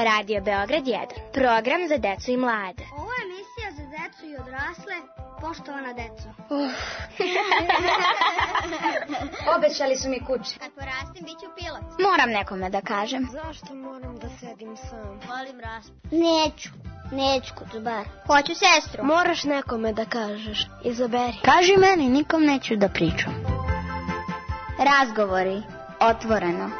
Radio Beograd 1. Program za decu i mlade. Ovo je emisija za decu i odrasle, poštovana deco. Obećali su mi kuće. Kad porastim, bit ću pilot. Moram nekome da kažem. Zašto moram da sedim sam? Volim raspad. Neću kod bar. Hoću sestru. Moraš nekome da kažeš. Izaberi. Kaži meni, nikom neću da pričam. Razgovori. Otvoreno.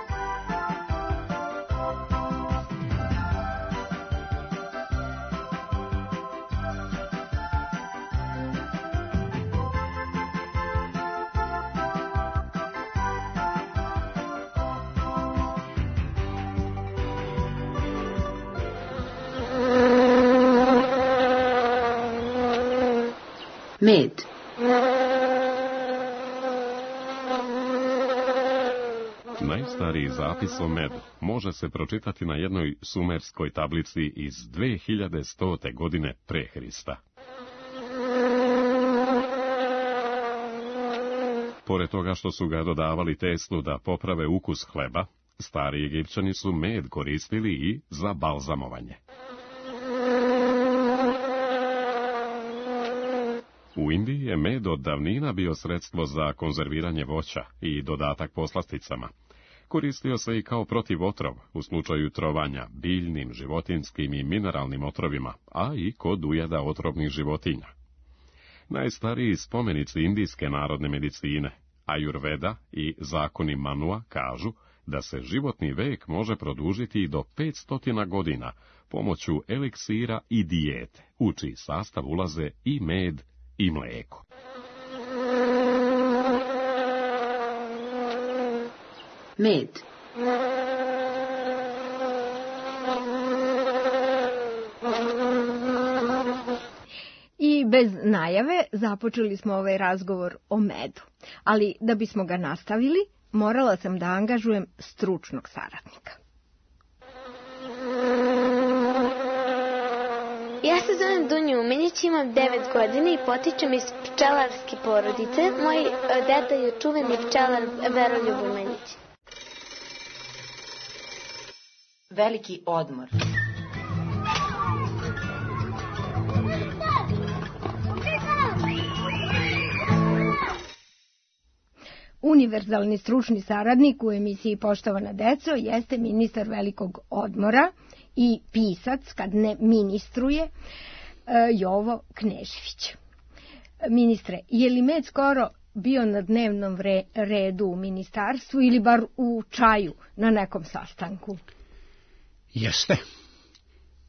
Med. Najstariji zapis o medu može se pročitati na jednoj sumerskoj tablici iz 2100. godine pre Hrista. Pored toga što su ga dodavali teslu da poprave ukus hleba, stari Egipćani su med koristili i za balzamovanje. U Indiji je med od davnina bio sredstvo za konzerviranje voća i dodatak poslasticama. Koristio se i kao protivotrov u slučaju trovanja biljnim, životinskim i mineralnim otrovima, a i kod ujeda otrovnih životinja. Najstariji spomenici indijske narodne medicine, Ajurveda i zakoni Manua, kažu da se životni vek može produžiti i do 500 godina pomoću eliksira i dijete, u čiji sastav ulaze i med i mlijeko. Med. I bez najave započeli smo ovaj razgovor o medu. Ali da bismo ga nastavili, morala sam da angažujem stručnog saradnika. Ja se zovem Dunja Umenić, imam 9 godina i potičem iz pčelarske porodice. Moj deda je čuveni pčelar Veroljub Umenić. Veliki odmor. Univerzalni stručni saradnik u emisiji Poštovana deco jeste ministar velikog odmora i pisac, kad ne ministruje, Jovo Knežević. Ministre, je li med skoro bio na dnevnom redu u ministarstvu ili bar u čaju na nekom sastanku? Jeste.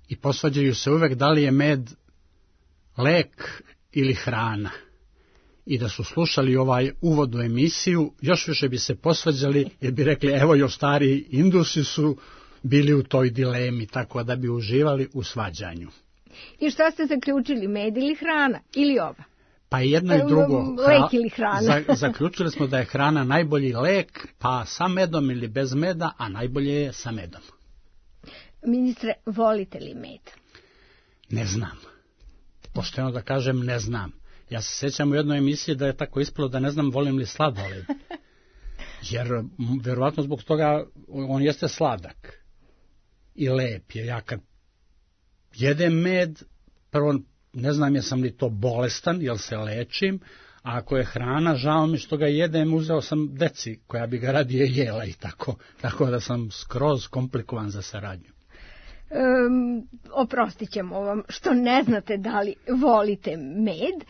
I posvađaju se uvek da li je med lek ili hrana. I da su slušali ovaj uvod u emisiju, još više bi se posvađali jer bi rekli, evo još stariji Indusi su bili u toj dilemi, tako da bi uživali u svađanju. I šta ste zaključili, med ili hrana? Ili oba? Pa jedno i drugo. Lek ili hrana? Zaključili smo da je hrana najbolji lek, pa sa medom ili bez meda, a najbolje je sa medom. Ministre, volite li med? Ne znam. Pošteno da kažem, ne znam. Ja se sjećam u jednoj emisiji da je tako ispalo da ne znam volim li sladoled. Jer vjerovatno zbog toga on jeste sladak i lep. Jer ja kad jedem med, prvo ne znam jesam li to bolestan, jel se lečim, a ako je hrana, žao mi što ga jedem, uzeo sam deci koja bi ga radije jela i tako da sam skroz komplikovan za saradnju. Oprostit ćemo vam što ne znate da li volite med,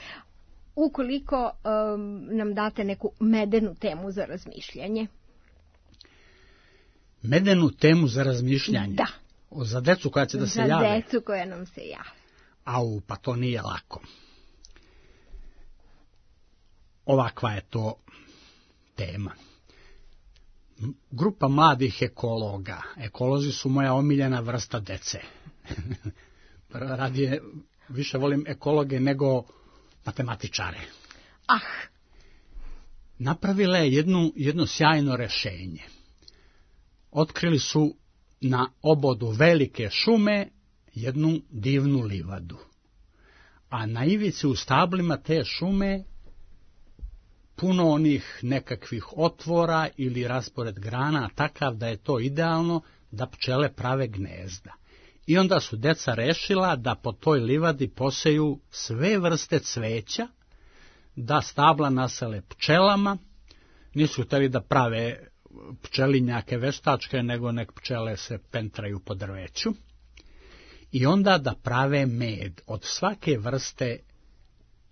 ukoliko nam date neku medenu temu za razmišljanje. Medenu temu za razmišljanje? Da. Za decu koja će da se jave? Za decu koja nam se jave. Pa to nije lako. Ovakva je to tema. Grupa mladih ekologa. Ekolozi su moja omiljena vrsta dece. Radije više volim ekologe nego matematičare. Napravila je jedno sjajno rešenje. Otkrili su na obodu velike šume jednu divnu livadu. A na ivici u stablima te šume puno onih nekakvih otvora ili raspored grana takav da je to idealno da pčele prave gnezda. I onda su deca rešila da po toj livadi poseju sve vrste cveća, da stabla nasele pčelama, nisu hteli da prave pčelinjake veštačke, nego nek pčele se pentraju po drveću, i onda da prave med od svake vrste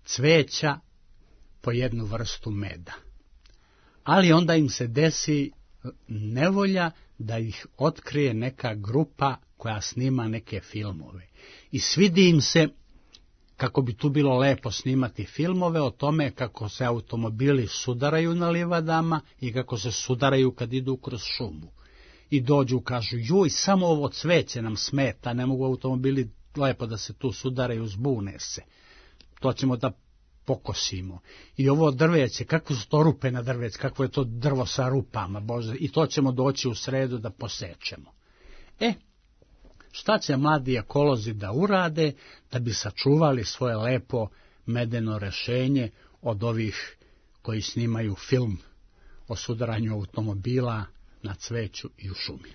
cveća po jednu vrstu meda. Ali onda im se desi nevolja da ih otkrije neka grupa koja snima neke filmove. I svidi im se kako bi tu bilo lepo snimati filmove o tome kako se automobili sudaraju na livadama i kako se sudaraju kad idu kroz šumu. I dođu, kažu, joj, samo ovo cveće nam smeta, ne mogu automobili lepo da se tu sudaraju, zbune se. To ćemo da pokosimo. I ovo drveće, kakve su to rupe na drveće, kakvo je to drvo sa rupama, Bože, i to ćemo doći u sredu da posečemo. Šta će mladi ekolozi da urade da bi sačuvali svoje lepo medeno rešenje od ovih koji snimaju film o sudaranju automobila na cveću i u šumi?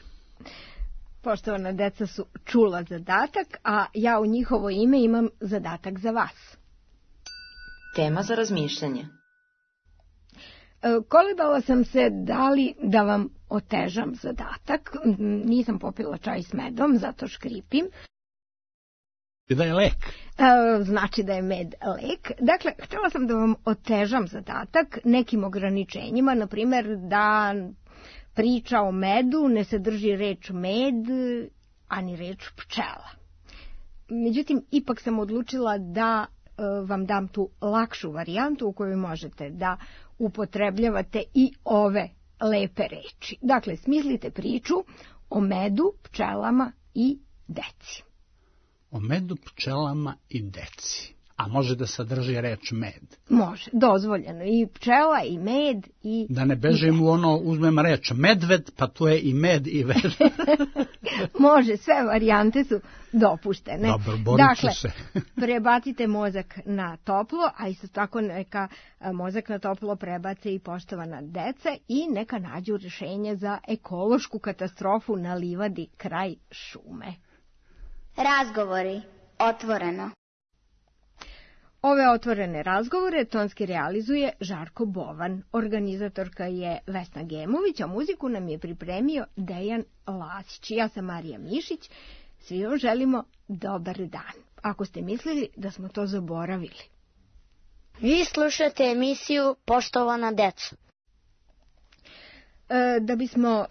Poštovana deca su čula zadatak, a ja u njihovo ime imam zadatak za vas. Tema za razmišljanje. Kolebala sam se da li da vam otežam zadatak. Nisam popila čaj s medom, zato škripim. Da je lek. Znači da je med lek. Dakle, htjela sam da vam otežam zadatak nekim ograničenjima, na primjer da priča o medu ne sadrži reč med, ani reč pčela. Međutim, ipak sam odlučila da vam dam tu lakšu varijantu u kojoj možete da upotrebljavate i ove lepe reči. Dakle, smislite priču o medu, pčelama i deci. O medu, pčelama i deci. A može da sadrži reč med? Može, dozvoljeno. I pčela, i med, i... Da ne bežim u ono, uzmem reč medved, pa tu je i med i ved. Može, sve varijante su dopuštene. Dobro, borit ću se. Prebacite mozak na toplo, a isto tako neka mozak na toplo prebace i poštovana deca i neka nađu rješenje za ekološku katastrofu na livadi kraj šume. Razgovori. Otvoreno. Ove otvorene razgovore tonski realizuje Žarko Bovan. Organizatorka je Vesna Gemović, a muziku nam je pripremio Dejan Lasić. Ja sam Marija Mišić. Svi vam želimo dobar dan. Ako ste mislili da smo to zaboravili. Vi slušate emisiju Poštovana deco. Da bismo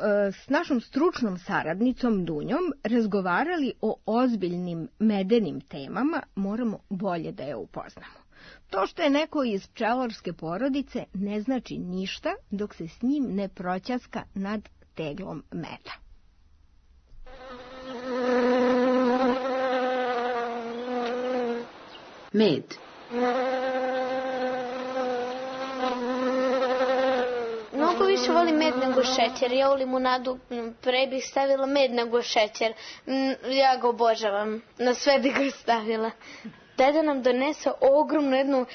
s našom stručnom saradnicom Dunjom razgovarali o ozbiljnim medenim temama, moramo bolje da je upoznamo. To što je neko iz pčelarske porodice ne znači ništa dok se s njim ne proćaska nad teglom meda. Med. Mnogo više volim med nego šećer. Ja u limunadu pre bih stavila med nego šećer. Ja ga obožavam. Na sve bih ga stavila. Deda nam donese ogromnu jednu,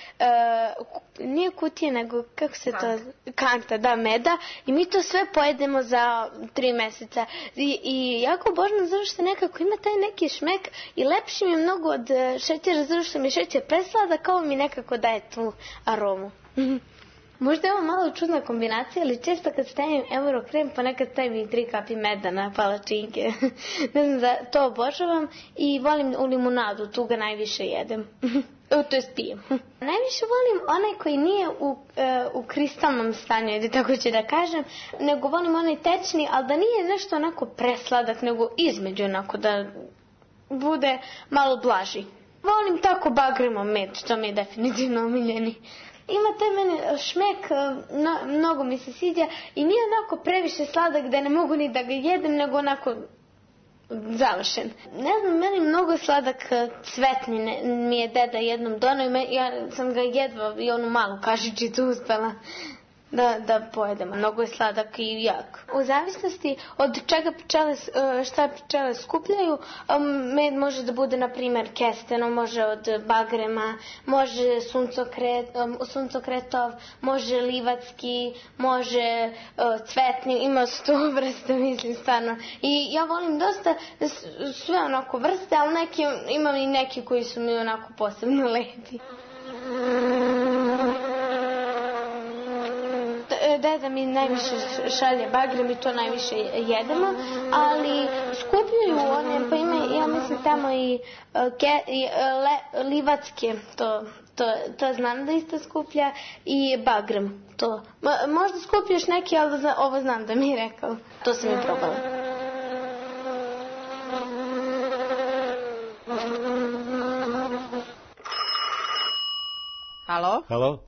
nije kutije, nego kako se to, kanta, da, meda. I mi to sve pojedemo za 3 meseca. I jako obožavam zato što nekako ima taj neki šmek i lepši mi je mnogo od šećera zato što mi šećer preslada, kao mi nekako daje tu aromu. Možda je ovo malo čudna kombinacija, ali često kad stavim Eurokrem, pa nekad stavim i 3 kapi meda na palačinke. Ne znam, da to obožavam i volim u limunadu, tu ga najviše jedem. To jest pijem. Najviše volim onaj koji nije u kristalnom stanju, ili tako ću da kažem, nego volim onaj tečni, ali da nije nešto onako presladak, nego između onako da bude malo blaži. Volim tako bagremo med, što mi je definitivno omiljeni. Ima taj meni šmek, mnogo mi se sviđa i nije onako previše sladak da ne mogu ni da ga jedem, nego onako završen. Ne znam, meni mnogo sladak cvetni mi je deda jednom donao i ja sam ga jedva i onu malu kašičicu uspela. da pojedemo. Mnogo je sladak i jak. U zavisnosti od čega šta pčele skupljaju, med može da bude, na primjer, kesteno, može od bagrema, može suncokretov, može livatski, može cvetni, ima 100 vrsta, mislim, stvarno. I ja volim dosta sve onako vrste, ali imam i neki koji su mi onako posebno lepi. Deda mi najviše šalje bagrem i to najviše jedemo, ali skupljaju one, pa ima, ja mislim, tamo i livatske, to znam da isto skuplja, i bagrem, to. Možda skupljaš neki, ali ovo znam da mi je rekao, to sam i probala. Halo? Halo?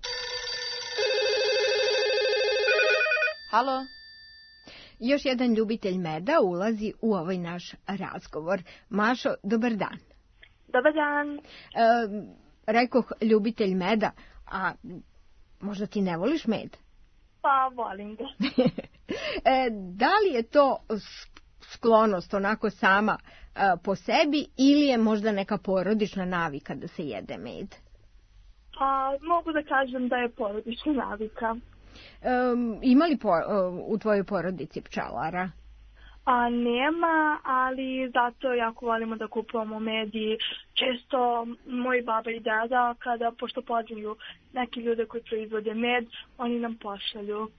Halo? Još jedan ljubitelj meda ulazi u ovaj naš razgovor. Mašo, dobar dan. Dobar dan. Rekoh ljubitelj meda, a možda ti ne voliš med? Pa volim ga. Da li je to sklonost onako sama po sebi ili je možda neka porodična navika da se jede med? Pa mogu da kažem da je porodična navika. Ima li u tvojoj porodici pčelara? Nema, ali zato jako volimo da kupujemo med i često moji baba i deda, pošto poznaju neki ljude koji proizvode med, oni nam pošalju.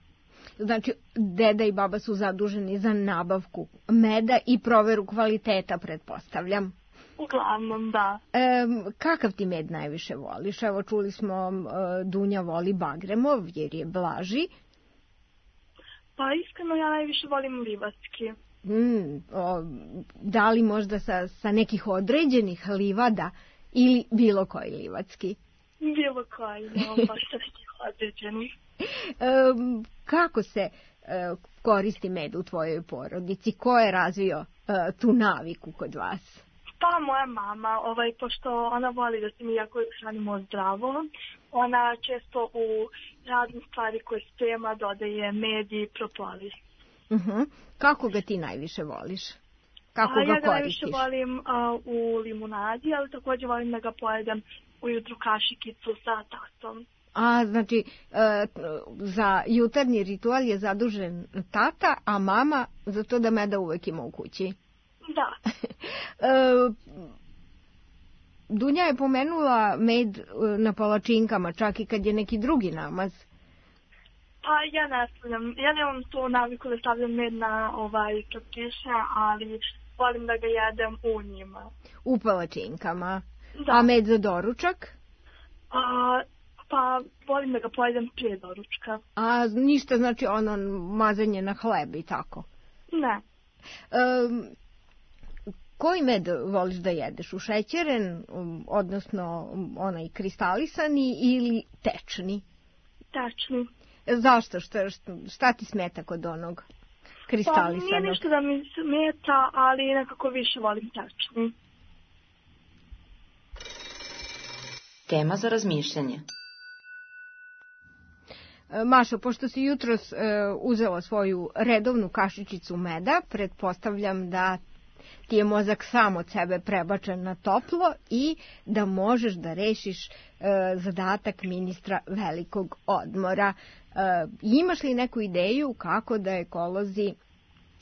Znači, deda i baba su zaduženi za nabavku meda i proveru kvaliteta, pretpostavljam. Uglavnom, da. Kakav ti med najviše voliš? Evo, čuli smo, Dunja voli bagremov jer je blaži. Pa iskreno ja najviše volim livatski. Da li možda sa nekih određenih livada ili bilo koji livatski? Bilo koji, no, baš sa nekih određenih. Kako se koristi med u tvojoj porodici? Ko je razvio tu naviku kod vas? Pa moja mama, pošto ona voli da se mi jako hranimo zdravo, ona često u razne stvari koje sprema dodaje med i propolis. Kako ga ti najviše voliš? Kako ga koristiš? Ja ga najviše volim u limunadi, ali također volim da ga pojedem ujutru kašikicu sa tastom. Znači, za jutarnji ritual je zadužen tata, a mama za to da meda uvek ima u kući. Da. Dunja je pomenula med na palačinkama, čak i kad je neki drugi namaz. Pa ja ne stavljam, ja nemam tu naviku da stavljam med na čopiše, ali volim da ga jedem u njima. U palačinkama? Da. A med za doručak? Pa volim da ga pojedem prije doručka. A ništa, znači ono mazanje na hleb i tako? Ne. Koji med voliš da jedeš? Ušećeren, odnosno onaj kristalisani ili tečni? Tečni. Zašto? Šta ti smeta kod onog kristalisanog? Pa nije ništa da mi smeta, ali nekako više volim tečni. Tema za razmišljanje. Mašo, pošto si jutros uzela svoju redovnu kašičicu meda, pretpostavljam da ti je mozak sam od sebe prebačen na toplo i da možeš da rešiš zadatak ministra velikog odmora. Imaš li neku ideju kako da ekolozi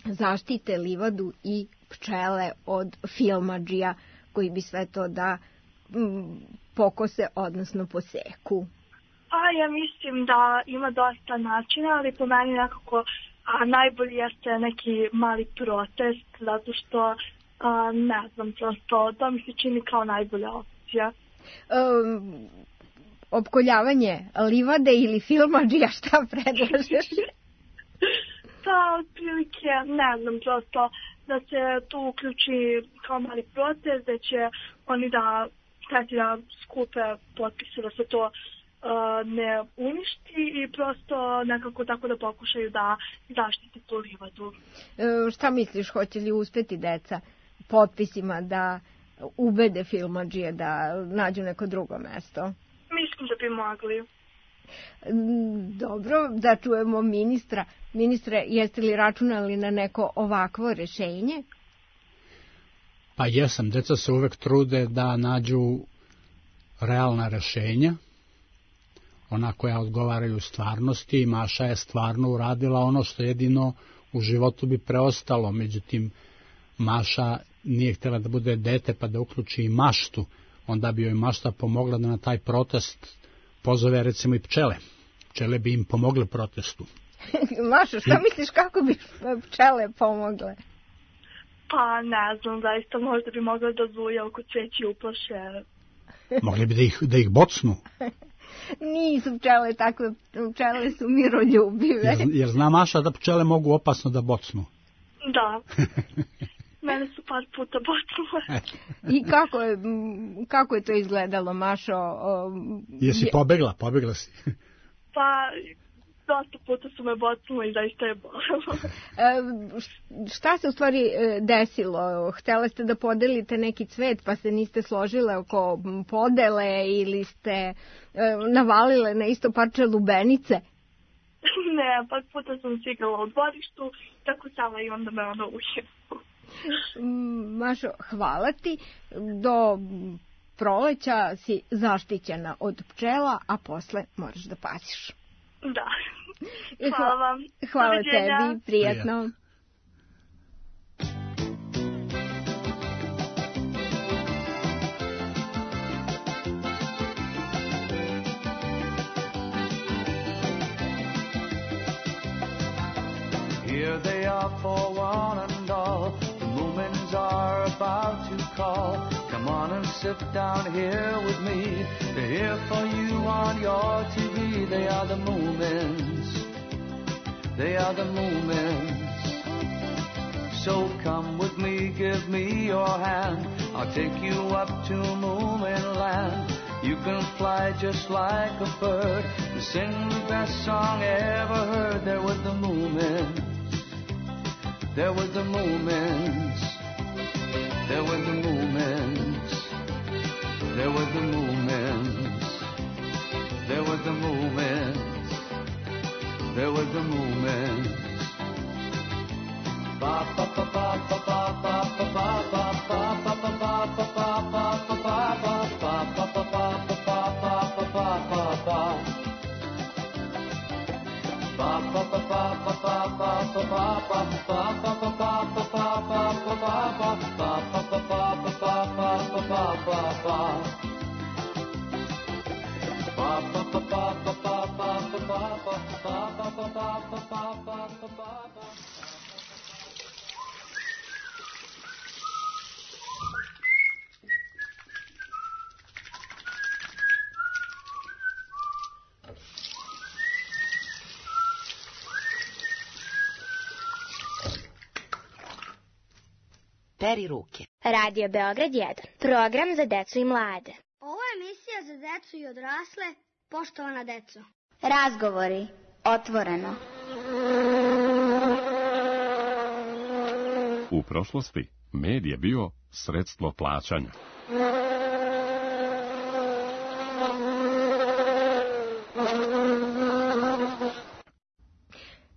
zaštite livadu i pčele od filmadžija koji bi sve to da pokose, odnosno poseku? Ja mislim da ima dosta načina, ali po meni nekako najbolji jeste neki mali protest, zato što ne znam, prosto to mi se čini kao najbolja opcija. Opkoljavanje livade ili filmadžija, šta predlažeš? Pa, otprilike, ne znam, prosto da se tu uključi kao mali protest, da će oni da skupe potpise da se to ne uništi i prosto nekako tako da pokušaju da zaštite tu livadu. Šta misliš, hoće li uspeti deca potpisima da ubede filmadžije da nađu neko drugo mesto? Mislim da bi mogli. Dobro, da čujemo ministra. Ministre, jeste li računali na neko ovakvo rešenje? Pa jesam, deca se uvek trude da nađu realna rešenja, ona koja odgovaraju stvarnosti, i Maša je stvarno uradila ono što jedino u životu bi preostalo. Međutim, Maša nije htjela da bude dete pa da uključi i maštu, onda bi joj mašta pomogla da na taj protest pozove recimo i pčele. Pčele bi im pomogle protestu. Mašo, šta misliš kako bi pčele pomogle? Pa ne znam, zaista možda bi mogla da zuje oko cveći uplaše. Mogli bi da ih bocnu. Nisu pčele takve, pčele su miroljubive. Jer zna Maša da pčele mogu opasno da bocnu. Da. Mene su par puta bocnule. I kako je to izgledalo, Mašo? Jesi pobegla? Pobegla si. Pa, dosta puta su me bocnule i zaista je bolelo. Šta se u stvari desilo? Htjela ste da podelite neki cvet pa se niste složile oko podele ili ste navalile na isto parče lubenice? Ne, par puta sam se igrala u dvorištu, tako sama i onda me ono uhjelo. Mašo, hvala ti. Do proleća si zaštićena od pčela, a posle moraš da paziš. Da. Hvala vam. Hvala tebi, prijatno. Here they are for one and all. The Moomins are about to call. Come on and sit down here with me. They're here for you on your TV. They are the Moomins. They are the Moomins. So come with me, give me your hand. I'll take you up to Moomin Land. You can fly just like a bird and sing the best song ever heard. There with the Moomins. There were the Moomins. There were the Moomins. There were the Moomins. There were the Moomins. There were the Moomins. Ba ba ba ba ba ba ba ba ba ba ba ba ba ba ba ba Peri ruke. Radio Beograd 1. Program za decu i mlade. Ovo je emisija za decu i odrasle, poštovana deco. Razgovori. Otvoreno. U prošlosti med je bio sredstvo plaćanja.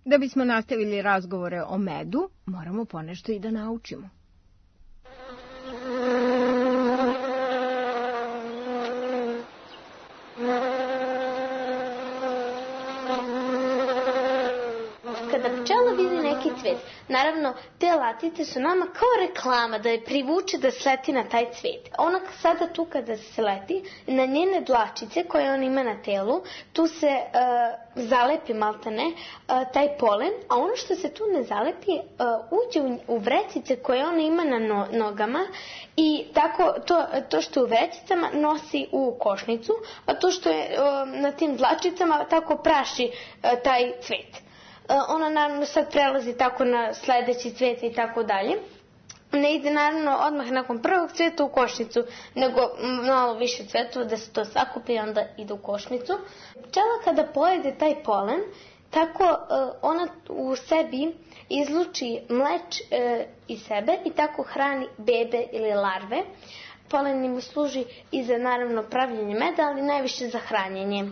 Da bismo nastavili razgovore o medu, moramo ponešto i da naučimo. Kada pčela vidi neki cvet, naravno te latice su nama kao reklama da je privuče da sleti na taj cvet. Ona sada tu kada se leti, na njene dlačice koje ona ima na telu, tu se zalepi maltene taj polen, a ono što se tu ne zalepi uđe u vrecice koje ona ima na nogama i tako to što je u vrecicama nosi u košnicu, a to što je na tim dlačicama tako praši taj cvet. Ona naravno sad prelazi tako na sledeći cvet i tako dalje. Ne ide naravno odmah nakon prvog cveta u košnicu, nego malo više cvetova da se to sakupi i onda ide u košnicu. Pčela kada pojede taj polen, tako ona u sebi izluči mleč iz sebe i tako hrani bebe ili larve. Polen im služi i za naravno pravljenje meda, ali najviše za hranjenje.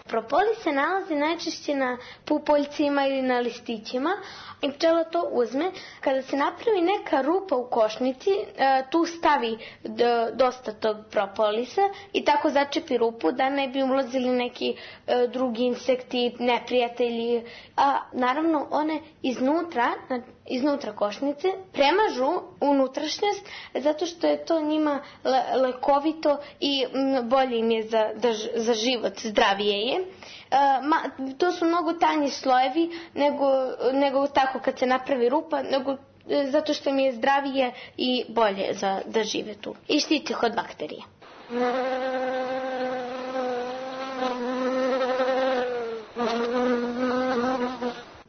Propolis se nalazi najčešće na pupoljcima ili na listićima i pčela to uzme. Kada se napravi neka rupa u košnici, tu stavi dosta tog propolisa i tako začepi rupu da ne bi ulazili neki drugi insekti, neprijatelji. A naravno one iznutra košnice premažu unutrašnjost zato što je to njima lekovito i bolje im je za život, zdravije je. To su mnogo tanji slojevi nego tako kad se napravi rupa, nego zato što im je zdravije i bolje da žive tu. I štiti ih od bakterija.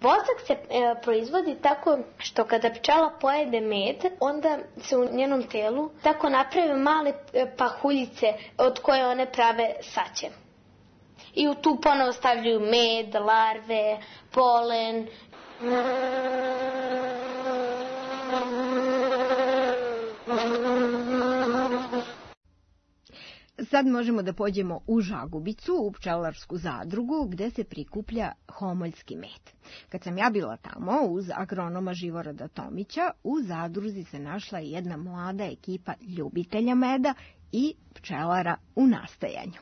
Vosak se proizvodi tako što kada pčela pojede med, onda se u njenom telu tako naprave male pahuljice od koje one prave saće. I tu ponovo stavljaju med, larve, polen. Sad možemo da pođemo u Žagubicu, u pčelarsku zadrugu, gde se prikuplja homoljski med. Kad sam ja bila tamo, uz agronoma Živoroda Tomića, u zadruzi se našla jedna mlada ekipa ljubitelja meda i pčelara u nastajanju.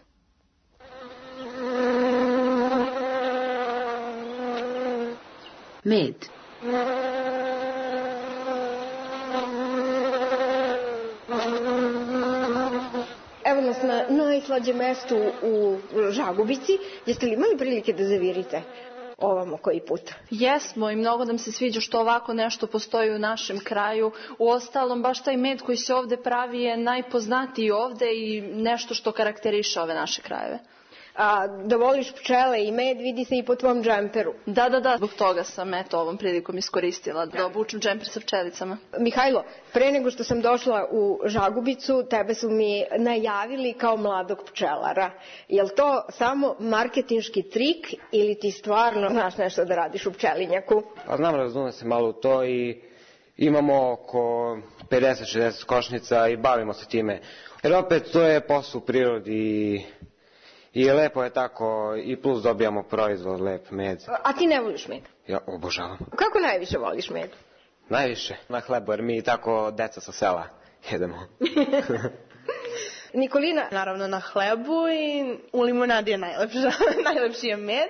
Med. Evo nas na najslađem mestu u Žagubici. Jeste li imali prilike da zavirite ovamo koji put? Jesmo i mnogo nam se sviđa što ovako nešto postoji u našem kraju. Uostalom, baš taj med koji se ovde pravi je najpoznatiji ovde i nešto što karakteriše ove naše krajeve. A da voliš pčele i med vidi se i po tvom džemperu. Da, zbog toga sam ovom prilikom iskoristila da obučem džemper sa pčelicama. Mihajlo, pre nego što sam došla u Žagubicu, tebe su mi najavili kao mladog pčelara. Je li to samo marketinški trik ili ti stvarno znaš nešto da radiš u pčelinjaku? Pa znam, razumem se malo u to i imamo oko 50-60 košnica i bavimo se time. Jer opet to je posao u prirodi i lepo je tako i plus dobijamo proizvod, lep med. A ti ne voliš med? Ja obožavam. Kako najviše voliš med? Najviše na hlebu, jer mi tako deca sa sela jedemo. Nikolina? Naravno na hlebu i u limunadi je najlepši je med.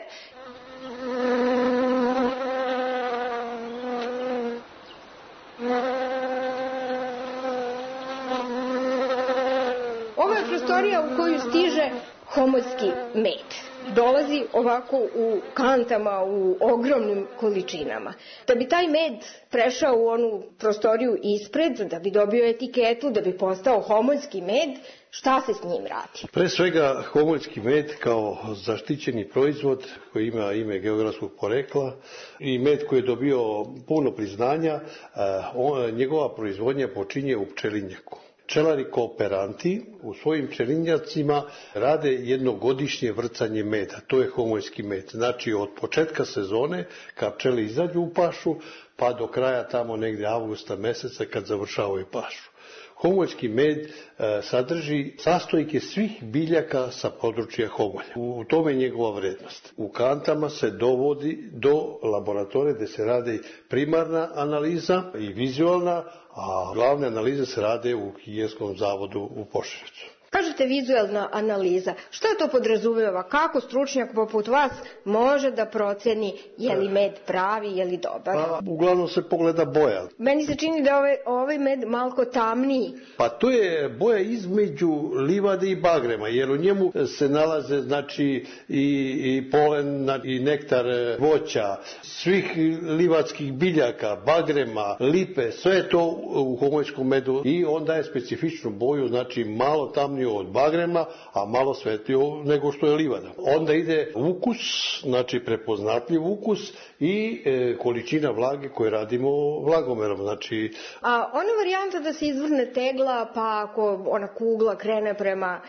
Ovo je prostorija u koju stiže homoljski med. Dolazi ovako u kantama, u ogromnim količinama. Da bi taj med prešao u onu prostoriju ispred, da bi dobio etiketu, da bi postao homoljski med, šta se s njim radi? Pre svega, homoljski med kao zaštićeni proizvod koji ima ime geografskog porekla i med koji je dobio puno priznanja, njegova proizvodnja počinje u pčelinjaku. Pčelari kooperanti u svojim pčelinjacima rade jednogodišnje vrcanje meda, to je homoljski med. Znači od početka sezone kad pčele izađu u pašu pa do kraja tamo negdje avgusta meseca kad završavaju pašu. Homoljski med sadrži sastojke svih biljaka sa područja homolja. U tome je njegova vrednost. U kantama se dovodi do laboratorije gdje se radi primarna analiza i vizualna, a glavne analize se rade u Higijenskom zavodu u Požarevcu. Kažete vizualna analiza. Što to podrazumeva? Kako stručnjak poput vas može da proceni je li med pravi, je li dobar? Pa, uglavnom se pogleda boja. Meni se čini da je ovaj med malko tamniji. Pa to je boja između livade i bagrema, jer u njemu se nalaze znači i polen i nektar voća, svih livadskih biljaka, bagrema, lipe, sve je to u homoljskom medu i on daje specifičnu boju, znači malo tamniju od bagrema, a malo svetlio nego što je livada. Onda ide ukus, znači prepoznatljiv ukus i količina vlage koje radimo vlagomerom. Znači... A ona varijanta da se izvrne tegla, pa ako ona kugla krene prema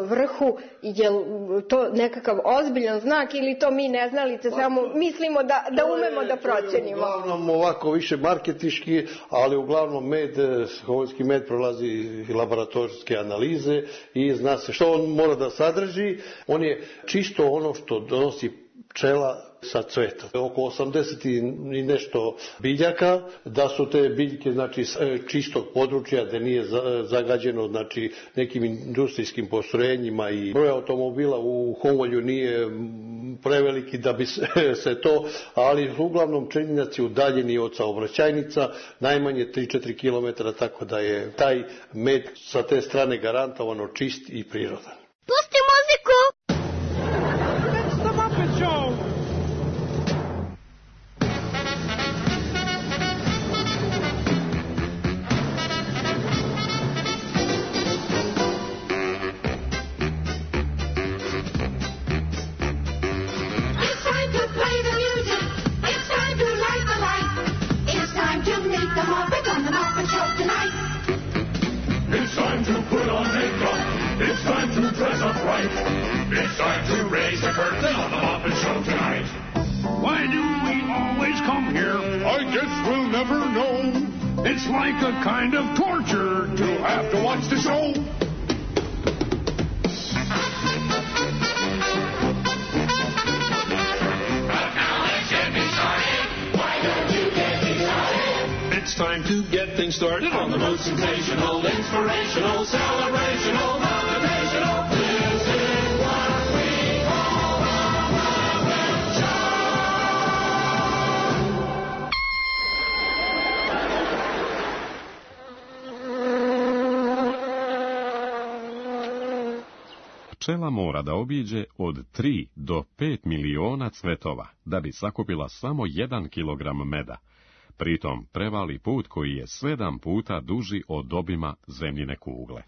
vrhu, je to nekakav ozbiljan znak ili to mi neznalice samo mislimo da umemo da procenimo? Uglavnom ovako više marketiški, ali uglavnom homoljski med prolazi laboratorijske analize i zna se što on mora da sadrži. On je čisto ono što donosi pčela sa cveta. Oko 80 i nešto biljaka, da su te biljke znači čistog područja da nije zagađeno znači nekim industrijskim postrojenjima i broj automobila u Homolju nije preveliki da bi se to, ali uglavnom pčelinjaci udaljeni od saobraćajnica najmanje 3-4 km, tako da je taj med sa te strane garantovano čist i prirodan. Pusti muziku! It's time to put on makeup. It's time to dress up right. It's time to raise the curtain on the Muppet Show tonight. Why do we always come here? I guess we'll never know. It's like a kind of torture to have to watch the show. But now let's get me started. Why don't you get me started? It's time to get things started on the most sensational, inspirational, celebrational, motivational. This is what we call the Muppet Show. Pčela mora da obiđe od 3 do 5 miliona cvetova da bi sakupila samo 1 kilogram meda. Pritom prevali put koji je 7 puta duži od obima zemljine kugle.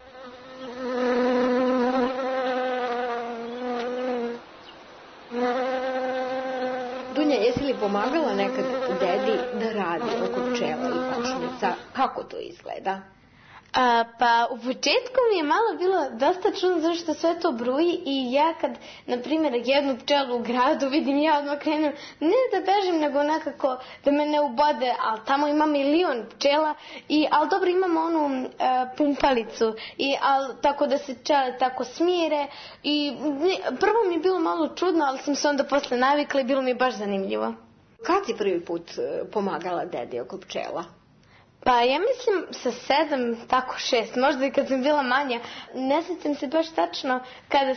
Dunja, jesi li pomagala nekad dedi da radi oko pčela i košnica? Kako to izgleda? Pa u početku mi je malo bilo dosta čudno zašto sve to bruji i ja kad, na primjer, jednu pčelu u gradu vidim, ja odmah krenem ne da bežim, nego nekako da me ne ubode, ali tamo ima milion pčela, ali dobro imamo onu pumpalicu, tako da se pčele tako smire i prvo mi je bilo malo čudno, ali sam se onda posle navikla i bilo mi je baš zanimljivo. Kad si prvi put pomagala dedi oko pčela? Pa ja mislim sa 7, tako 6, možda i kad sam bila manja. Ne sjećam se baš tačno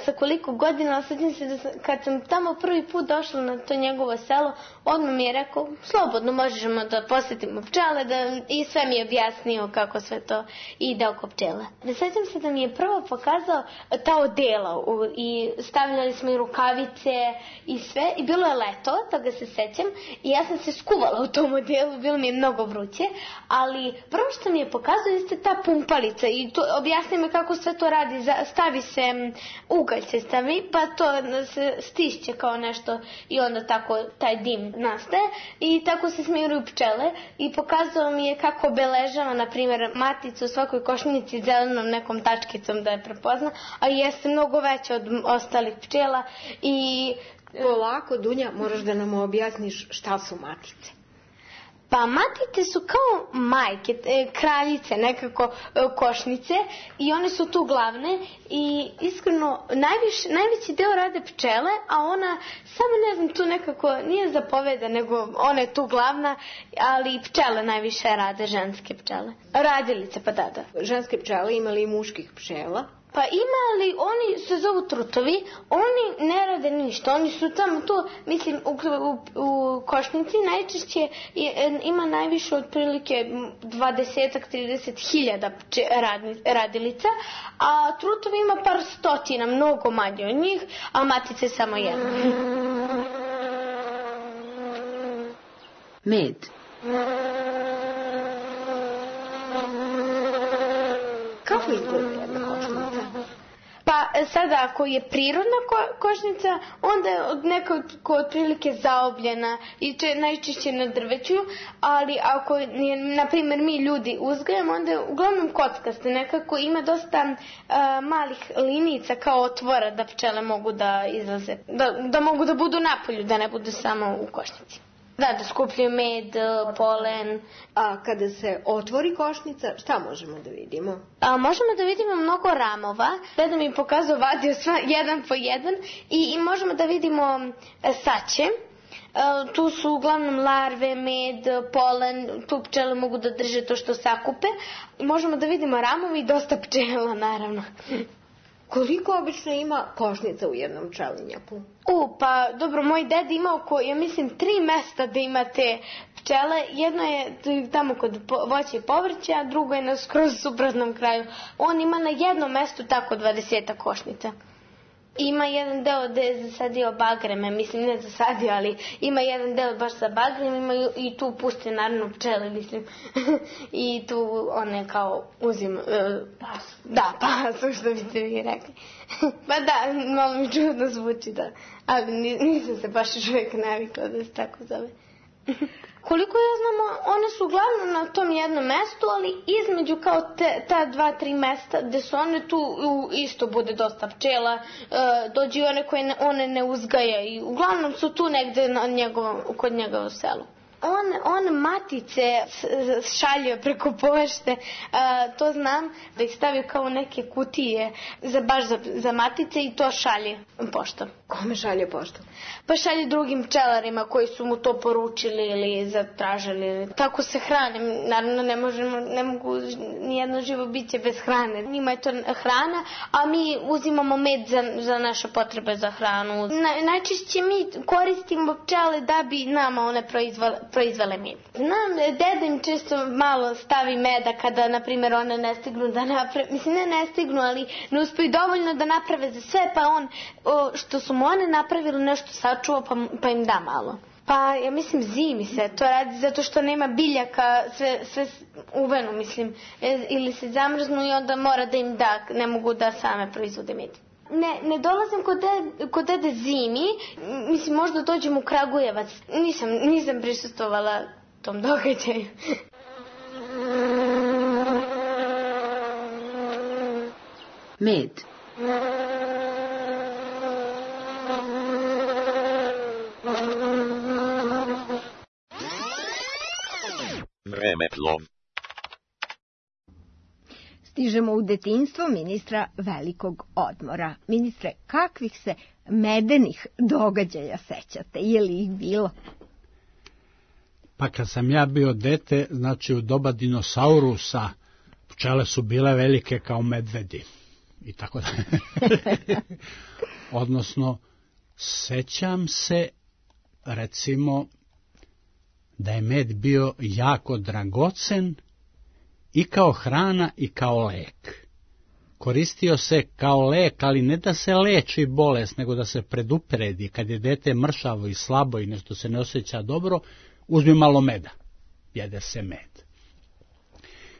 sa koliko godina, ali sjećam se da kad sam tamo prvi put došla na to njegovo selo, odmah mi je rekao, slobodno možemo da posjetimo pčele i sve mi je objasnio kako sve to ide oko pčela. Sjećam se da mi je prvo pokazao ta odela i stavljali smo i rukavice i sve i bilo je leto, toga se sjećam i ja sam se skuvala u tom odelu, bilo mi je mnogo vruće, ali prvo što mi je pokazao jeste ta pumpalica i to objasni me kako sve to radi. Stavi se, ugalj se stavi, pa to se stišće kao nešto i onda tako taj dim nastaje i tako se smiruju pčele i pokazao mi je kako obeležava, na primjer, maticu u svakoj košnici zelenom nekom tačkicom da je prepozna, a jeste mnogo veća od ostalih pčela i... Polako, Dunja, moraš da nam objasniš šta su matice. Pa matice su kao majke, kraljice, nekako košnice i one su tu glavne i iskreno najveći deo rade pčele, a ona samo ne znam tu nekako nije zapoveda, nego ona je tu glavna, ali pčele najviše rade, ženske pčele. Radilice, pa da. Ženske pčele imali i muških pčela? Pa ima, ali oni se zovu trutovi, oni ne rade ništa, oni su tamo tu, mislim, u košnici najčešće ima najviše otprilike 20-30 hiljada radilica, a trutovi ima par stotina, mnogo manje od njih, a matice samo jedna. Med. Kako kako izgleda jedna košnica? Pa sada ako je prirodna košnica, onda je nekako otprilike zaobljena i najčešće na drveću, ali ako je, na primjer, mi ljudi uzgajamo, onda je uglavnom kockaste, nekako ima dosta malih linica kao otvora da pčele mogu da izlaze, da mogu da budu napolju, da ne budu samo u košnici. Da skupljaju med, polen. A kada se otvori košnica, šta možemo da vidimo? Možemo da vidimo mnogo ramova. Deda mi je pokazao, vadio jedan po jedan i možemo da vidimo saće. Tu su uglavnom larve, med, polen, tu pčele mogu da drže to što sakupe. Možemo da vidimo ramovi i dosta pčela, naravno. Koliko obično ima košnica u jednom pčelinjaku? Pa dobro, moj deda ima oko, ja mislim, 3 mesta da ima te pčele. Jedno je tamo kod voća i povrća, a drugo je na skroz suprotnom kraju. On ima na jednom mestu tako 20 košnica. Ima jedan deo gde je zasadio bagreme, mislim ne zasadio, ali ima jedan deo baš sa bagrem, ima i tu puste naravno pčele, mislim. I tu one kao uzim pasu. Da, pasu, što biste vi rekli. Pa da, malo mi čudno zvuči, da. Ali nisam se baš još uvijek navikla da se tako zove. Koliko ja znam, one su uglavnom na tom jednom mestu, ali između kao ta 2-3 mesta gde su one, tu isto bude dosta pčela, dođu i one koje one ne uzgaja i uglavnom su tu negde kod njega u selu. On matice šalje preko pošte, to znam, da ih stavio kao neke kutije baš za matice i to šalje poštom. Kome šalje poštom? Pa šalje drugim pčelarima koji su mu to poručili ili zatražili. Tako se hrane. Naravno ne mogu nijedno živo biće bez hrane. Njima je to hrana, a mi uzimamo med za naše potrebe za hranu. Najčešće mi koristimo pčele da bi nama one proizvele med. Znam, deda im često malo stavi meda kada, na primjer, one ne stignu da naprave, mislim ne stignu, ali ne uspiju dovoljno da naprave za sve, pa on, što su mu one napravili, nešto sačuva pa im da malo. Pa ja mislim zimi se to radi zato što nema biljaka, sve uvenu, mislim, ili se zamrznu i onda mora da im da, ne mogu da same proizvode med. Ne dolazim kod dede zimi, mislim možda dođem u Kragujevac, nisam prisustvovala tom događaju. Med. Vremeplov. Stižemo u detinjstvo ministra velikog odmora. Ministre, kakvih se medenih događaja sećate? Je li ih bilo? Pa kad sam ja bio dete, znači u doba dinosaurusa, pčele su bile velike kao medvedi. I tako da. Odnosno, sećam se, recimo, da je med bio jako dragocen i kao hrana i kao lek. Koristio se kao lek, ali ne da se leči bolest, nego da se predupredi. Kad je dete mršavo i slabo i nešto se ne osjeća dobro, uzmi malo meda. Jede se med.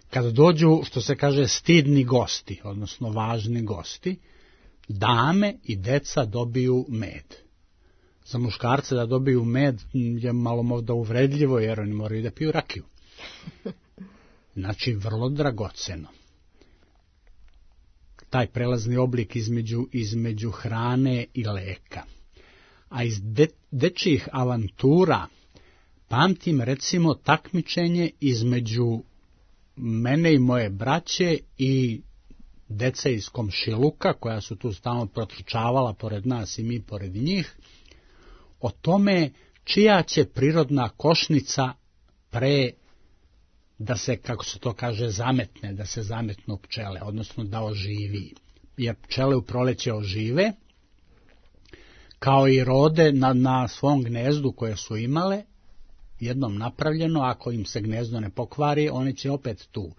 Kad dođu, što se kaže, stidni gosti, odnosno važni gosti, dame i deca dobiju med. Za muškarce da dobiju med je malo možda uvredljivo, jer oni moraju da piju rakiju. Znači, vrlo dragoceno. Taj prelazni oblik između hrane i leka. A iz dečjih avantura pamtim, recimo, takmičenje između mene i moje braće i dece iz komšiluka, koja su tu stalno protrčavala pored nas i mi pored njih, o tome čija će prirodna košnica pre da se, kako se to kaže, zametne, da se zametnu pčele, odnosno da oživi. Jer pčele u proleće ožive, kao i rode na svom gnezdu koje su imale, jednom napravljeno, ako im se gnezdo ne pokvari, oni će opet tu.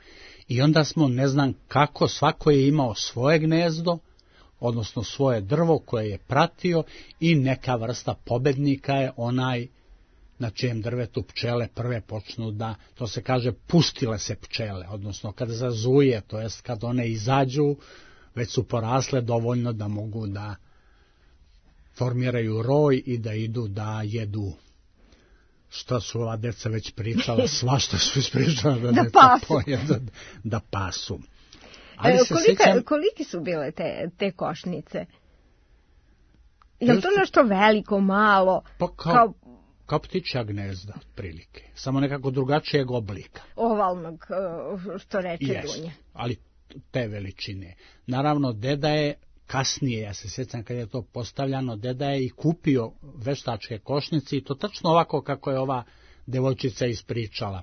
I onda smo, ne znam kako, svako je imao svoje gnezdo, odnosno svoje drvo koje je pratio i neka vrsta pobednika je onaj na čijem drvetu pčele prve počnu da, to se kaže, pustile se pčele, odnosno kad zazuje, to jest kad one izađu, već su porasle dovoljno da mogu da formiraju roj i da idu da jedu. Što su ova deca već pričala, svašta su ispričala da pasu. Ali koliki su bile te košnice? Je li to nešto veliko, malo? Pa kao ptičja gnezda, otprilike. Samo nekako drugačijeg oblika. Ovalnog, što reče Dunja. Ali te veličine. Naravno, deda je kasnije, ja se sjećam kad je to postavljano, deda je i kupio veštačke košnice i to tačno ovako kako je ova devojčica ispričala.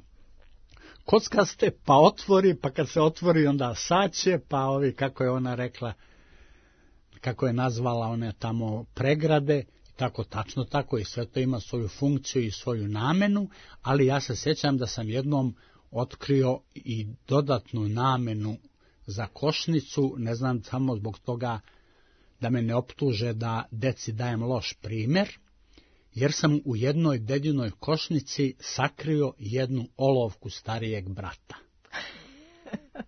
Kockaste, pa otvori, pa kad se otvori onda saće, pa ovi, kako je ona rekla, kako je nazvala one tamo pregrade, tako tačno tako i sve to ima svoju funkciju i svoju namenu, ali ja se sjećam da sam jednom otkrio i dodatnu namenu za košnicu, ne znam samo zbog toga da me ne optuže da deci dajem loš primjer, jer sam u jednoj dedinoj košnici sakrio jednu olovku starijeg brata.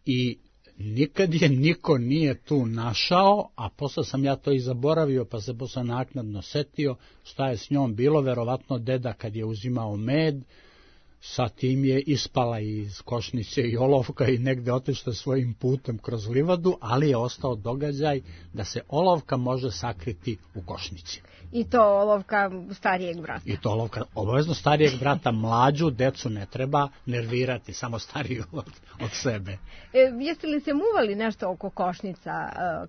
I nikad je niko nije tu našao, a posle sam ja to i zaboravio, pa se posle naknadno setio šta je s njom bilo. Verovatno deda kad je uzimao med, sa tim je ispala iz košnice i olovka i negde otišla svojim putem kroz livadu, ali je ostao događaj da se olovka može sakriti u košnici. I to olovka starijeg brata. I to olovka obavezno starijeg brata, mlađu decu ne treba nervirati, samo stariju od sebe. Jeste li se muvali nešto oko košnica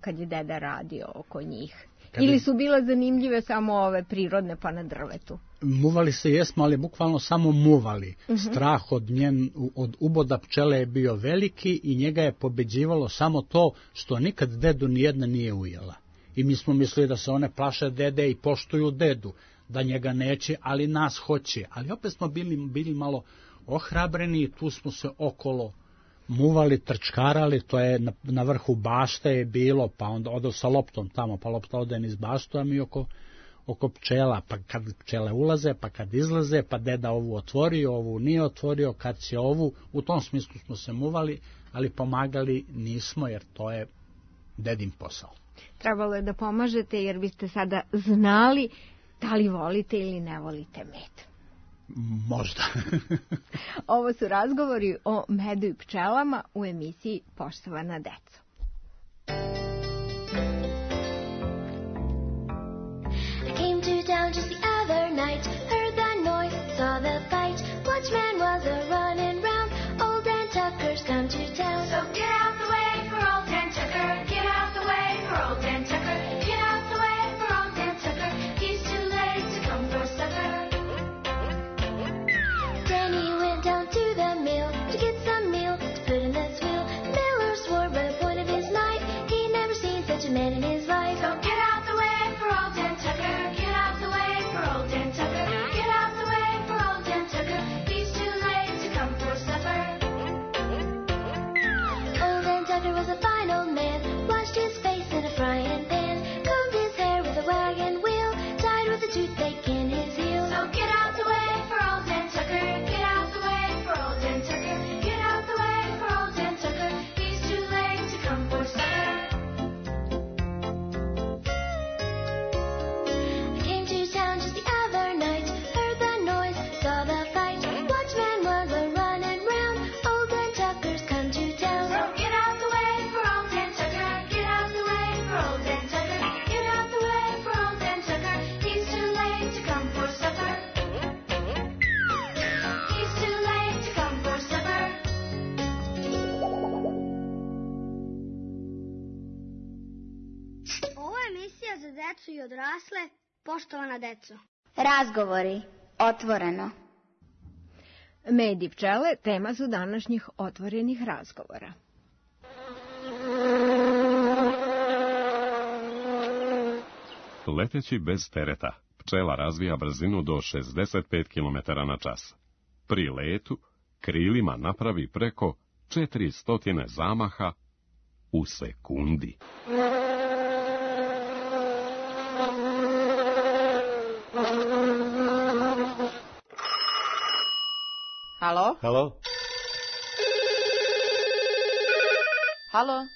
kad je deda radio oko njih? Ili su bile zanimljive samo ove prirodne pa na drvetu? Muvali se jesmo, ali bukvalno samo muvali. Strah od uboda pčele je bio veliki i njega je pobeđivalo samo to što nikad dedu nijedna nije ujela. I mi smo mislili da se one plaše dede i poštuju dedu, da njega neće, ali nas hoće. Ali opet smo bili malo ohrabreni i tu smo se okolo muvali, trčkarali, to je na vrhu bašte je bilo, pa onda odo sa loptom tamo, pa lopta ode niz baštu, a mi oko pčela, pa kad pčele ulaze, pa kad izlaze, pa deda ovu otvorio, ovu nije otvorio, kad će ovu, u tom smislu smo se muvali, ali pomagali nismo, jer to je dedin posao. Trebalo je da pomažete, jer biste sada znali da li volite ili ne volite med. Možda. Ovo su razgovori o medu i pčelama u emisiji Poštovana deco. I came to town just the other night, heard the noise, saw the fight. Watchman was a running round, old Dan Tucker's come to town. So get out the way for old Dan Tucker, get out the way for old Dan Tucker, get out the way for old Dan Tucker, he's too late to come for supper. Then he went down to the mill to get some meal to put in the wheel. The miller swore by the point of his knife he'd never seen such a man in his life. So get out the way for old Dan Tucker, get out the way for old Dan Tucker, get out the way for old Dan Tucker, he's too late to come for supper. Old Dan Tucker was a fine old man, washed his face in a frying pan, combed his hair with a wagon wheel, tied with a toothpick in his heel. So get out the way for old Dan Tucker, get out the way for old Dan Tucker, get out the way for old Dan Tucker, he's too late to come for supper. I came to town just the other night, heard the noise, saw the fight. Watchman was a running round, old Dan Tucker's come to town. So get out the way for old Dan Tucker, get out the way for old Dan Tucker, get out the way for old Dan Tucker, he's too late to come for supper. He's too late to come for supper. Ovo je emisija za decu i odrasle, poštovana deco. Razgovori, otvoreno. Med i pčele tema su današnjih otvorenih razgovora. Leteći bez tereta, pčela razvija brzinu do 65 km na čas. Pri letu krilima napravi preko 400 zamaha u sekundi. Halo? Halo?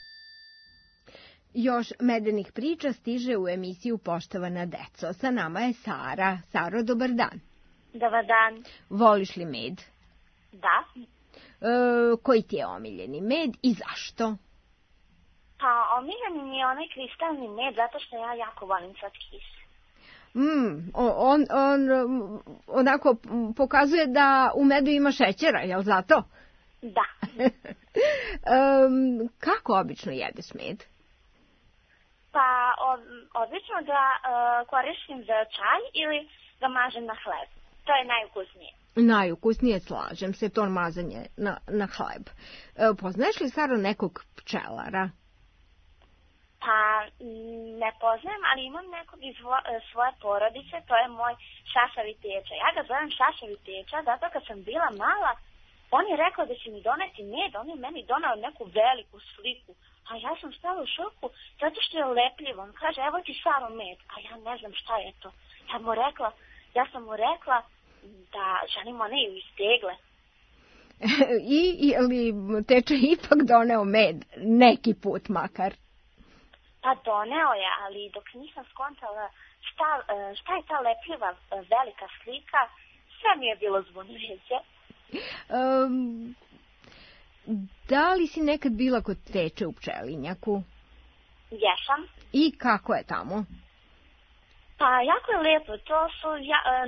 Još medenih priča stiže u emisiju Poštovana deco. Sa nama je Sara. Saro, dobar dan. Dobar dan. Voliš li med? Da. Koji ti je omiljeni med i zašto? Pa omiljeni mi je onaj kristalni med zato što ja jako volim slatkis. On onako pokazuje da u medu ima šećera, jel zato? Da. Kako obično jedeš med? Pa obično ga koristim za čaj ili ga mažem na hleb. To je najukusnije. Najukusnije, slažem se, to mazanje na hleb. Poznaješ li, Saro, nekog pčelara? Pa ne poznajem, ali imam nekog iz svoje porodice, to je moj šašavi teča. Ja ga zovem šašavi teča, zato kad sam bila mala, on je rekao da će mi doneti med, on je meni donao neku veliku sliku. A ja sam stala u šoku, zato što je lepljivo. On kaže, evo ti Saro med, a ja ne znam šta je to. Ja sam mu rekla da želim one iz tegle. Je li teča ipak doneo med, neki put makar? Pa doneo je, ali dok nisam skontala šta je ta lepljiva velika slika, sve mi je bilo zbunjujuće. Da li si nekad bila kod teče u pčelinjaku? Jesam. I kako je tamo? Pa jako je lijepo, to su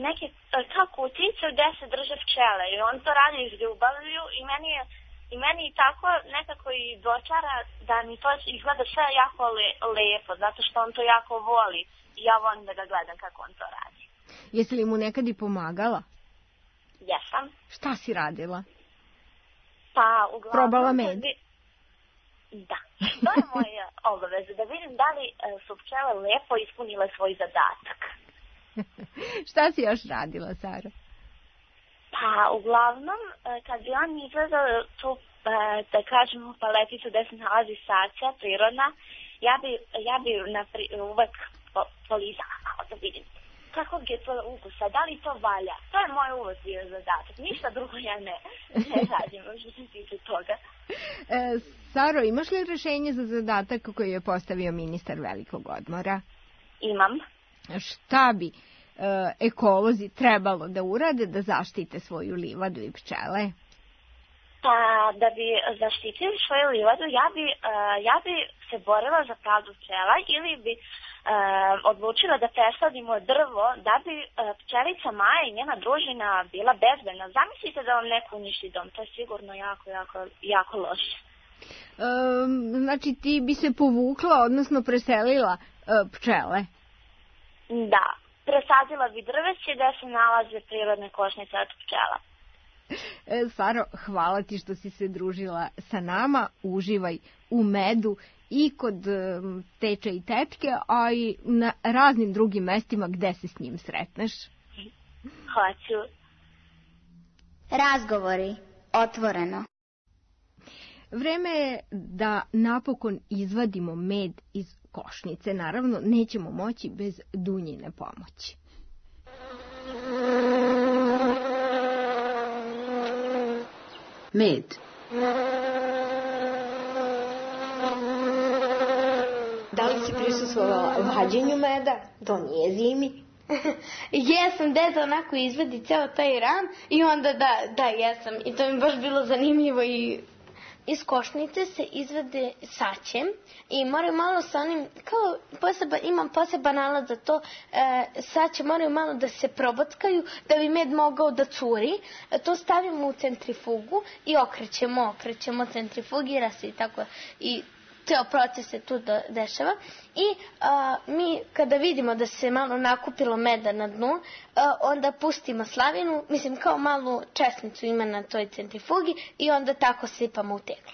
neke kao kutice gdje se drže pčele i on to radi iz ljubavlju i meni tako nekako i dočara da mi to izgleda sve jako lijepo, zato što on to jako voli i ja volim da ga gledam kako on to radi. Jesi li mu nekad i pomagala? Jesam. Šta si radila? Pa uglavnom... Probala med? Da, to je moja obaveza, da vidim da li su pčele lepo ispunile svoj zadatak. Šta si još radila, Sara? Pa uglavnom, kad bi on izgledao tu, da kažemo, paleticu gde se nalazi sača, prirodna, ja bi uvek polizala malo da vidim kakvog je to ukusa, da li to valja. To je moj uvod bio zadatak, ništa drugo ja ne radim, što se tiče toga. Saro, imaš li rešenje za zadatak koji je postavio ministar velikog odmora? Imam. Šta bi ekolozi trebalo da urade da zaštite svoju livadu i pčele? Pa, da bi zaštitili svoju livadu, ja bi se borila za pravdu pčela ili bi odlučila da presadimo drvo da bi pčelica Maja i njena družina bila bezbedna. Zamislite da vam neko uništi dom, to je sigurno jako loše. Znači ti bi se povukla, odnosno preselila pčele? Da, presadila bi drveće gde se nalaze prirodne košnice od pčela. Saro, hvala ti što si se družila sa nama, uživaj u medu i kod teče i tečke, a i na raznim drugim mestima gde se s njim sretneš. Hoću. Razgovori, otvoreno. Vreme je da napokon izvadimo med iz košnice. Naravno, nećemo moći bez Dunjine pomoći. Med. Da li si prisustvovala vađenju meda? To nije zimi. Jesam, deda onako izvedi ceo taj ram i onda da, jesam. I to mi baš bilo zanimljivo i... Iz košnice se izvede saće i moraju malo sa onim, imam poseban alat za to, saće moraju malo da se probockaju da bi med mogao da curi. To stavimo u centrifugu i okrećemo, centrifugira se i tako. I ceo proces se tu dešava i mi kada vidimo da se malo nakupilo meda na dnu, onda pustimo slavinu, mislim kao malu česnicu ima na toj centrifugi i onda tako sipamo u teglu.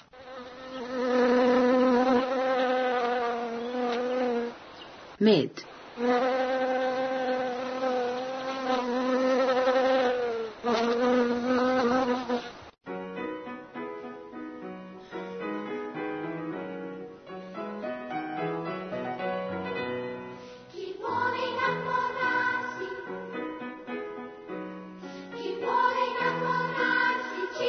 Med. Chi vuole innamorarsi ci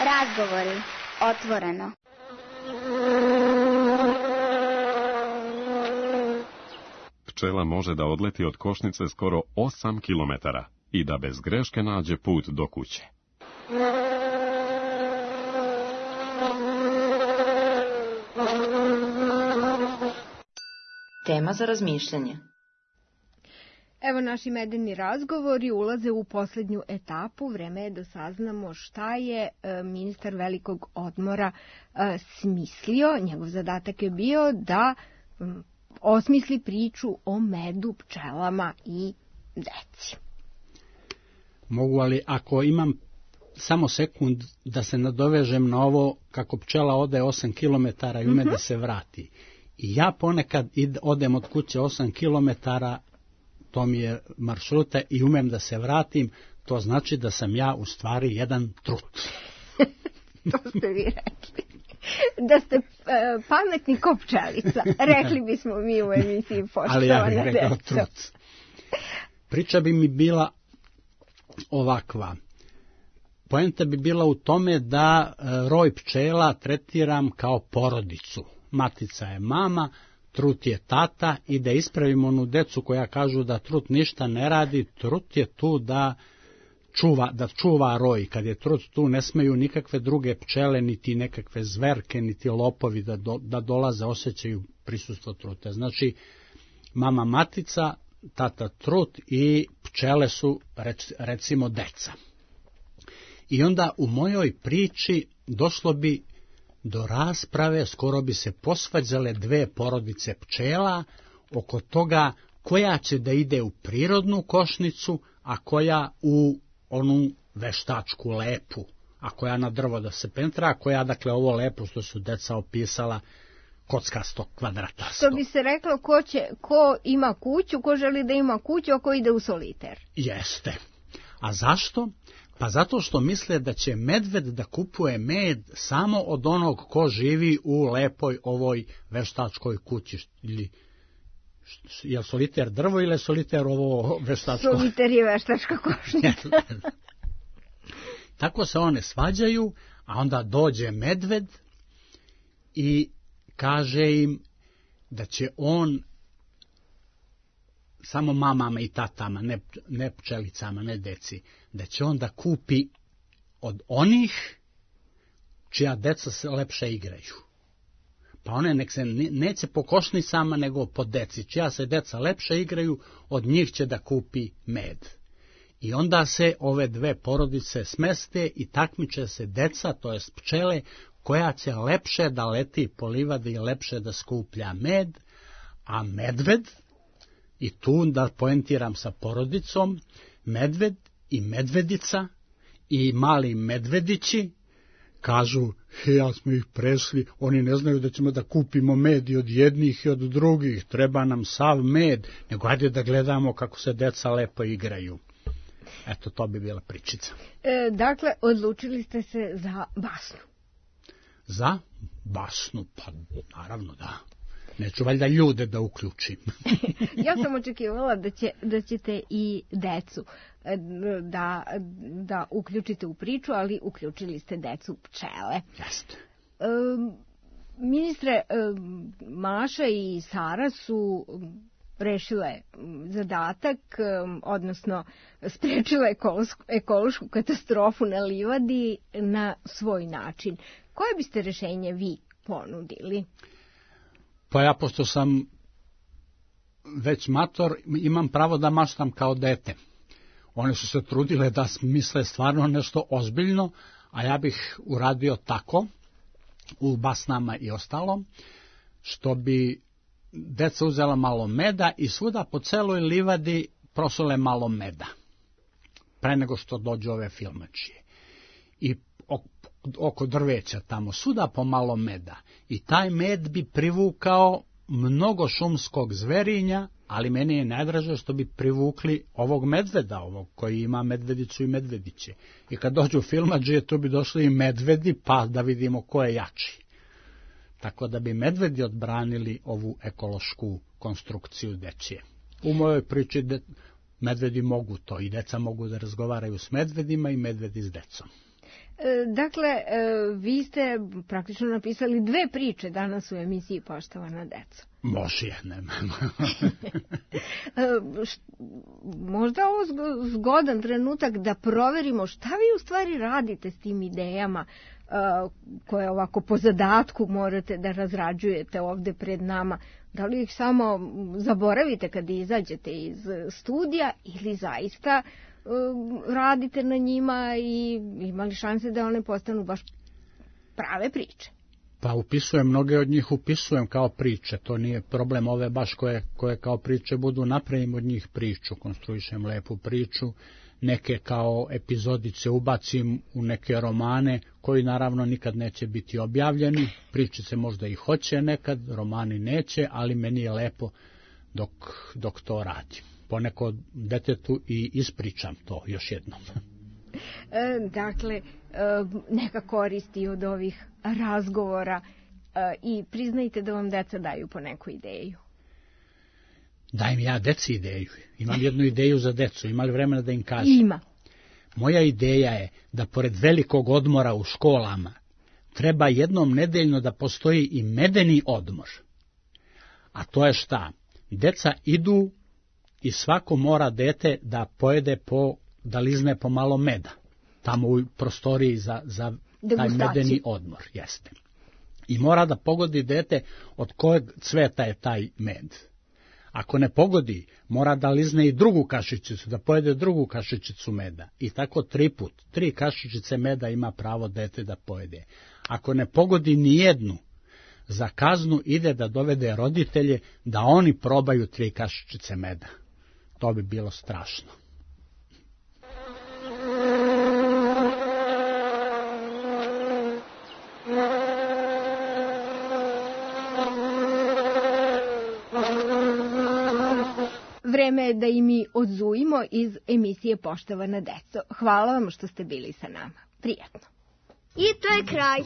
Razgovori. Otvoreno. Pčela može da odleti od košnice skoro 8 kilometara i da bez greške nađe put do kuće. Tema za razmišljanje. Evo naši medeni razgovori ulaze u posljednju etapu. Vreme je da saznamo šta je ministar velikog odmora smislio. Njegov zadatak je bio da osmisli priču o medu, pčelama i deci. Mogu, ali ako imam samo sekund da se nadovežem na ovo kako pčela ode 8 km i ume da se vrati. I ja ponekad odem od kuće 8 km, to mi je maršruta i umem da se vratim, to znači da sam ja u stvari jedan trut. To ste vi rekli. Da ste pametni ko pčelica. Rekli bismo mi u emisiji Poštovana Ali ja bih rekao deco. trut. Priča bi mi bila ovakva. Poenta bi bila u tome da roj pčela tretiram kao porodicu. Matica je mama, trut je tata i da ispravimo onu decu koja kažu da trut ništa ne radi, trut je tu da čuva roj. Kad je trut tu ne smeju nikakve druge pčele, niti nekakve zverke, niti lopovi da dolaze, osjećaju prisustvo truta. Znači, mama matica, tata trut i pčele su recimo deca. I onda u mojoj priči došlo bi do rasprave, skoro bi se posvađale dve porodice pčela oko toga koja će da ide u prirodnu košnicu, a koja u onu veštačku lepu, a koja na drvo da se pentra, a koja, dakle, ovo lepo što su deca opisala, kockasto, kvadratasto. Što bi se reklo, ko ima kuću, ko želi da ima kuću, a ko ide u soliter. Jeste. A zašto? Pa zato što misle da će medved da kupuje med samo od onog ko živi u lepoj ovoj veštačkoj kući. Ili, je li soliter drvo ili je soliter ovo veštačko? Soliter je veštačka košnica. Tako se one svađaju, a onda dođe medved i kaže im da će on samo mamama i tatama, ne pčelicama, ne deci, da će on da kupi od onih čija deca se lepše igraju. Pa one nek se neće po košnicama, nego po deci. Čija se deca lepše igraju, od njih će da kupi med. I onda se ove dve porodice smeste i takmiče se deca, to jest pčele, koja će lepše da leti po livadi i lepše da skuplja med, a medved, i tu da poentiram sa porodicom, medved i medvedica i mali medvedići kažu, ja smo ih prešli, oni ne znaju da ćemo da kupimo med i od jednih i od drugih, treba nam sav med, nego ajde da gledamo kako se deca lepo igraju. Eto, to bi bila pričica. Dakle, odlučili ste se za basnu. Za basnu? Pa naravno da. Neću valjda ljude da uključim. Ja sam očekivala da ćete i decu da uključite u priču, ali uključili ste decu pčele. Jeste. Ministre, Maša i Sara su rešile zadatak, odnosno sprečile ekološku katastrofu na livadi na svoj način. Koje biste rešenje vi ponudili? Pa ja, pošto sam već mator, imam pravo da maštam kao dete. One su se trudile da misle stvarno nešto ozbiljno, a ja bih uradio tako, u basnama i ostalom, što bi deca uzela malo meda i svuda po celoj livadi prosule malo meda, pre nego što dođu ove filmačije. I oko drveća tamo, svuda po malo meda. I taj med bi privukao mnogo šumskog zverinja, ali meni je najdraže što bi privukli ovog medveda, ovog koji ima medvedicu i medvediće. I kad dođu filmadžije, tu bi došli i medvedi, pa da vidimo ko je jači. Tako da bi medvedi odbranili ovu ekološku konstrukciju dečije. U mojoj priči medvedi mogu to, i deca mogu da razgovaraju s medvedima i medvedi s decom. Dakle, vi ste praktično napisali 2 priče danas u emisiji Poštovana deco. Može, nema. Možda ovo zgodan trenutak da proverimo šta vi u stvari radite s tim idejama koje ovako po zadatku morate da razrađujete ovde pred nama. Da li ih samo zaboravite kad izađete iz studija ili zaista radite na njima i imali šanse da one postanu baš prave priče? Pa upisujem, mnoge od njih upisujem kao priče, to nije problem, ove baš koje kao priče budu, napravim od njih priču, konstruišem lepu priču, neke kao epizodice ubacim u neke romane koji naravno nikad neće biti objavljeni, pričice možda i hoće nekad, romani neće, ali meni je lepo dok to radim. Ponekad detetu i ispričam to još jednom. Dakle, neka koristi od ovih razgovora i priznajte da vam deca daju po neku ideju. Dajem ja deci ideju. Imam jednu ideju za decu. Ima li vremena da im kažem? Ima. Moja ideja je da pored velikog odmora u školama treba jednom nedeljno da postoji i medeni odmor. A to je šta? Deca idu i svako mora dete da pojede da lizne po malo meda. Tamo u prostoriji za taj medeni odmor. Jeste. I mora da pogodi dete od kojeg cveta je taj med. Ako ne pogodi, mora da lizne i drugu kašičicu, da pojede drugu kašičicu meda. I tako 3 put. 3 kašičice meda ima pravo dete da pojede. Ako ne pogodi ni jednu, za kaznu ide da dovede roditelje da oni probaju 3 kašičice meda. To bi bilo strašno. Vreme je da i mi odzujimo iz emisije Poštovana deco. Hvala vam što ste bili sa nama. Prijatno. I to je kraj.